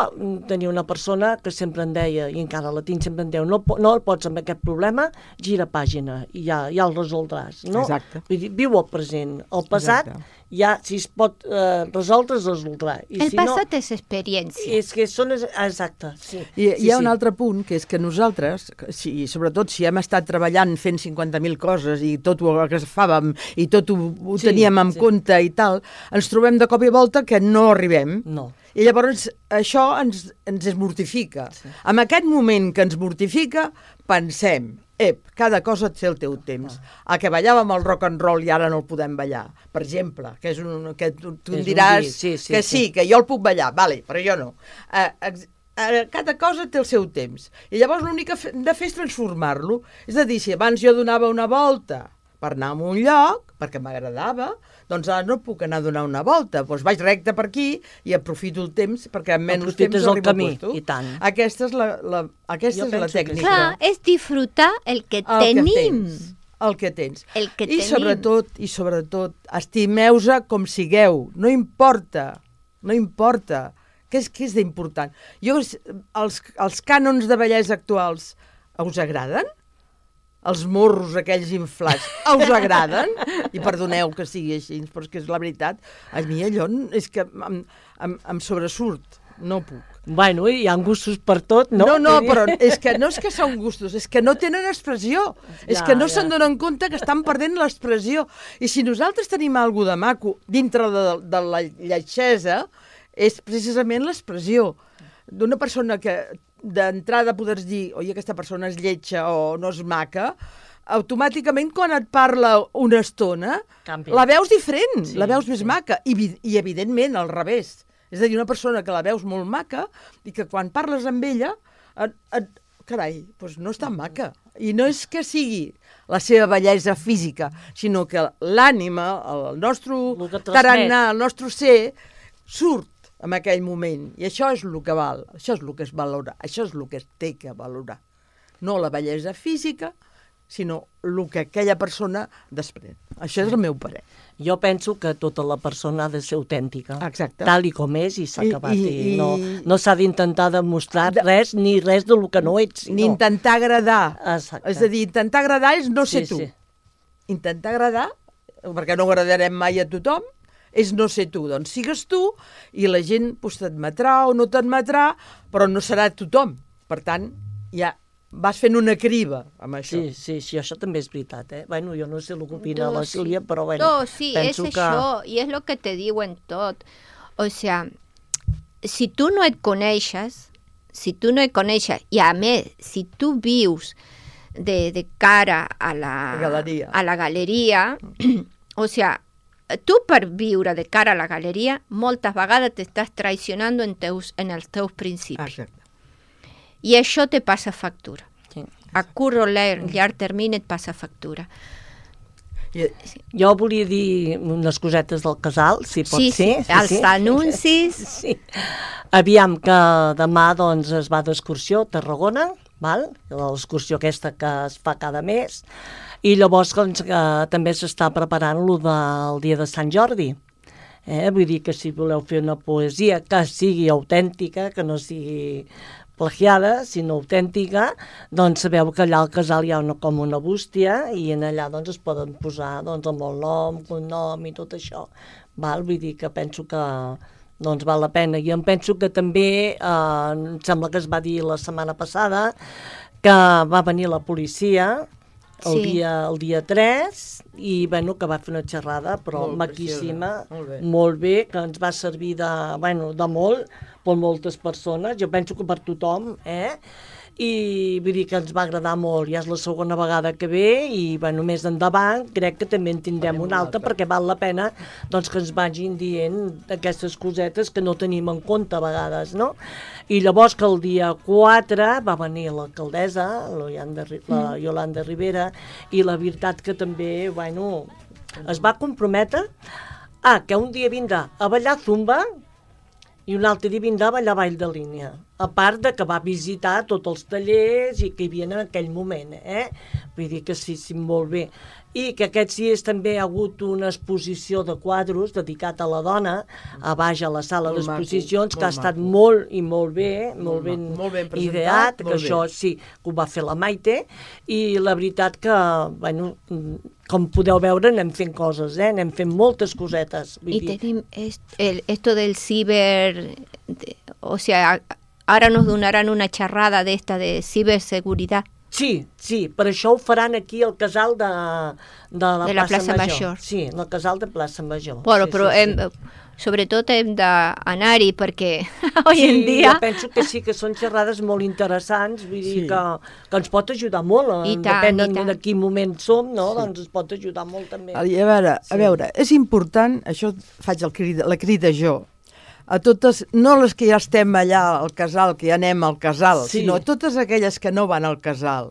tenia una persona que sempre em deia, i encara la tinc, sempre em deia, no el pots amb aquest problema, gira pàgina i ja el resoldràs. No? Exacte. Vull dir, viu el present. El passat, ja, si es pot resoldre, es resoldrà. I El si passat no, és experiència. és que són... Exacte, sí. I hi ha un altre punt, que és que nosaltres, sobretot si hem estat treballant fent 50.000 coses i tot ho agafàvem i tot ho teníem en compte i tal, ens trobem de cop i volta que no arribem. No. I llavors això ens mortifica. Sí. En aquest moment que ens mortifica, pensem, cada cosa té el teu temps. A que ballàvem el rock and roll i ara no el podem ballar, per exemple, que és que tu em diràs que sí, que jo el puc ballar, vale, però jo no. Cada cosa té el seu temps. I llavors l'únic que hem de fer és transformar-lo. És a dir, si abans jo donava una volta per anar a un lloc, perquè m'agradava, doncs ara no puc anar a donar una volta. Doncs vaig recte per aquí i aprofito el temps, perquè en menys temps arribo al puesto. I tant. Aquesta és la tècnica. Clar, és disfrutar el que tenim. El que tens. El que I tenim. sobretot, estimeu-se com sigueu. No importa. Què és d'important? Els cànons de bellesa actuals us agraden? Els morros aquells inflats, us agraden? I perdoneu que sigui així, però és que és la veritat. A mi allò és que em sobresurt, no puc. Bueno, hi ha gustos per tot, no? No, però és que no és que són gustos, és que no tenen expressió. És que no se'n donen compte que estan perdent l'expressió. I si nosaltres tenim alguna de maco dintre de la lletgesa, és precisament l'expressió d'una persona que d'entrada poders dir, oi, aquesta persona és lletja o no és maca, automàticament quan et parla una estona, canvia. La veus diferent, la veus més maca, i evidentment al revés. És a dir, una persona que la veus molt maca i que quan parles amb ella, carai, doncs no és tan maca. I no és que sigui la seva bellesa física, sinó que l'ànima, el nostre tarannà, el nostre ser, surt en aquell moment. I això és el que val, això és el que es valora, això és el que es té que valorar. No la bellesa física, sinó el que aquella persona desprèn. Això és el meu parer. Jo penso que tota la persona ha de ser autèntica. Exacte. Tal i com és i s'ha acabat. No s'ha d'intentar demostrar res, ni res del que no ets. Ni intentar agradar. Exacte. És a dir, intentar agradar és no ser tu. Intentar agradar, perquè no agradarem mai a tothom, és no ser tu. Doncs sigues tu i la gent t'admetrà o no t'admetrà, però no serà tothom. Per tant, ja vas fent una criba amb això. Sí, això també és veritat, eh? Bueno, jo no sé el que opina la Sílvia, però bueno, no, sí, penso és això, i és el que te diuen tot. O sea, si tu no et coneixes, i a més, si tu vius de cara a la galeria, o sea, tu per viure de cara a la galeria, moltes vegades t'estàs traicionant en els teus principis. Exacte. I això te passa factura. Sí. A curt o llarg termini et passa factura. Jo volia dir unes cosetes del casal, si pot ser. Sí, els anuncis. Sí. Aviam que demà doncs, es va d'excursió a Tarragona, val? L'excursió aquesta que es fa cada mes, i llavors doncs, també s'està preparant lo del dia de Sant Jordi. Vull dir que si voleu fer una poesia que sigui autèntica, que no sigui plagiada, sinó autèntica, doncs sabeu que allà al casal hi ha com una bústia i en allà doncs, es poden posar doncs, amb el nom, cognom i tot això. Val? Vull dir que penso que doncs, val la pena. I em penso que també, em sembla que es va dir la setmana passada, que va venir la policia el dia 3 i bueno, que va fer una xerrada però maquíssima, molt bé, que ens va servir de molt per moltes persones, jo penso que per tothom, i vull dir que ens va agradar molt, ja és la segona vegada que ve i bueno, més endavant crec que també en tindrem una altra perquè val la pena doncs, que ens vagin dient aquestes cosetes que no tenim en compte a vegades, no? I llavors que el dia 4 va venir l'alcaldessa, la Yolanda Rivera, i la veritat que també, bueno, es va comprometre que un dia vindrà a ballar zumba i un altre dia vindrà a ballar ball de línia. A part de que va visitar tots els tallers i que hi havia en aquell moment, Vull dir que sí, molt bé. i que aquests dies també hi ha hagut una exposició de quadros dedicat a la dona a baix a la sala d'exposicions, que ha estat molt i molt bé, molt ben ideat, que això sí, que ho va fer la Maite, i la veritat que, bueno, com podeu veure, anem fent coses, anem fent moltes cosetes. I tenim esto del ciber, o sea, ara nos donaran una xerrada d'esta de ciberseguridad. Sí, per això ho faran aquí al casal de la plaça Major. Sí, en el casal de plaça Major. Bueno, sí, però sobretot hem d'anar-hi perquè avui en dia... Jo penso que sí, que són xerrades molt interessants, vull dir que ens pot ajudar molt, depèn de quin moment som, no? Doncs ens pot ajudar molt també. A veure, és important, això faig la crida jo, a totes, no les que ja estem allà al casal, que ja anem al casal, sinó a totes aquelles que no van al casal.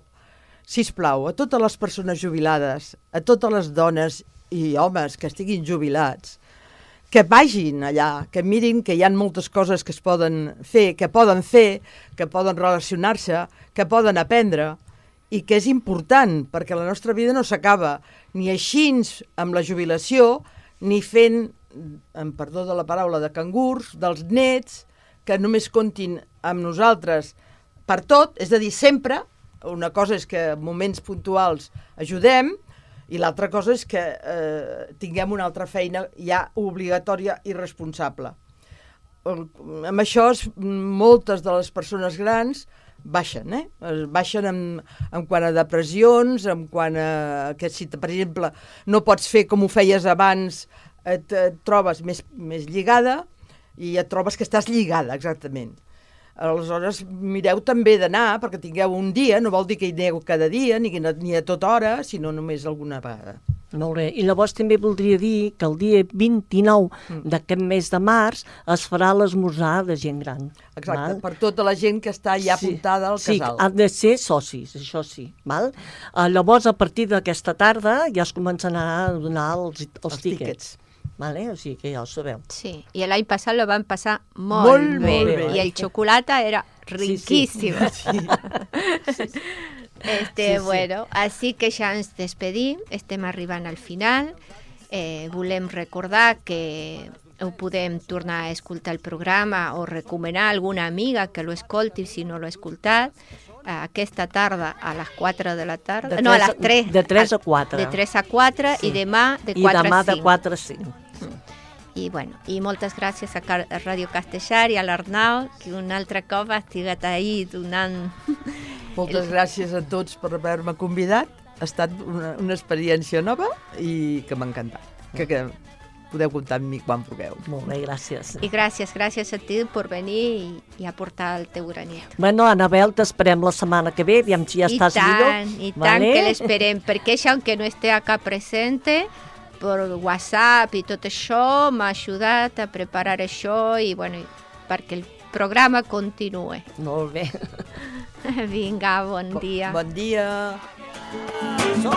Sisplau, a totes les persones jubilades, a totes les dones i homes que estiguin jubilats, que vagin allà, que mirin que hi ha moltes coses que es poden fer, que poden relacionar-se, que poden aprendre, i que és important, perquè la nostra vida no s'acaba ni així amb la jubilació, ni fent, amb perdó de la paraula, de cangurs, dels nets, que només comptin amb nosaltres per tot, és a dir, sempre. Una cosa és que en moments puntuals ajudem, i l'altra cosa és que tinguem una altra feina ja obligatòria i responsable. Amb això, moltes de les persones grans baixen, baixen en quant a depressions, en quant a que si, per exemple, no pots fer com ho feies abans, et trobes més lligada i et trobes que estàs lligada, exactament. Aleshores, mireu també d'anar, perquè tingueu un dia, no vol dir que hi aneu cada dia, ni a tota hora, sinó només alguna vegada. Molt bé. I llavors també voldria dir que el dia 29 d'aquest mes de març es farà l'esmorzar de gent gran. Exacte, per tota la gent que està ja apuntada al casal. Sí, han de ser socis, això sí. Llavors, a partir d'aquesta tarda ja es començaran a donar els tíquets. Vale? O sigui que ja ho sabeu. Sí, y el año pasado lo van a pasar muy bien. Y el chocolate era riquísimo. Bueno, así que ja ens despedim, estem arribant al final. Volem recordar que ho podem tornar a escoltar el programa o recomanar a alguna amiga que lo escolti si no lo ha escoltat. Aquesta tarda a les 4 de la tarda, a les 3. De 3 a 4. De 3 a 4 i demà de 4 a 5. I demà de 4 a 5. I moltes gràcies a Ràdio Castellar i a l'Arnau, que un altre cop ha estigat ahí donant... Moltes gràcies a tots per haver-me convidat. Ha estat una experiència nova i que m'ha encantat. Que podeu comptar amb mi quan vulgueu. Molt bé, gràcies. I gràcies a ti per venir i aportar el teu granet. Bueno, Anabel, t'esperem la setmana que ve, aviam si ja estàs millor. I tant que l'esperem, perquè això, aunque no esté acá presente, per WhatsApp i tot això, m'ha ajudat a preparar això i, bueno, perquè el programa continuï. Molt bé. Vinga, bon dia. Bon dia. Som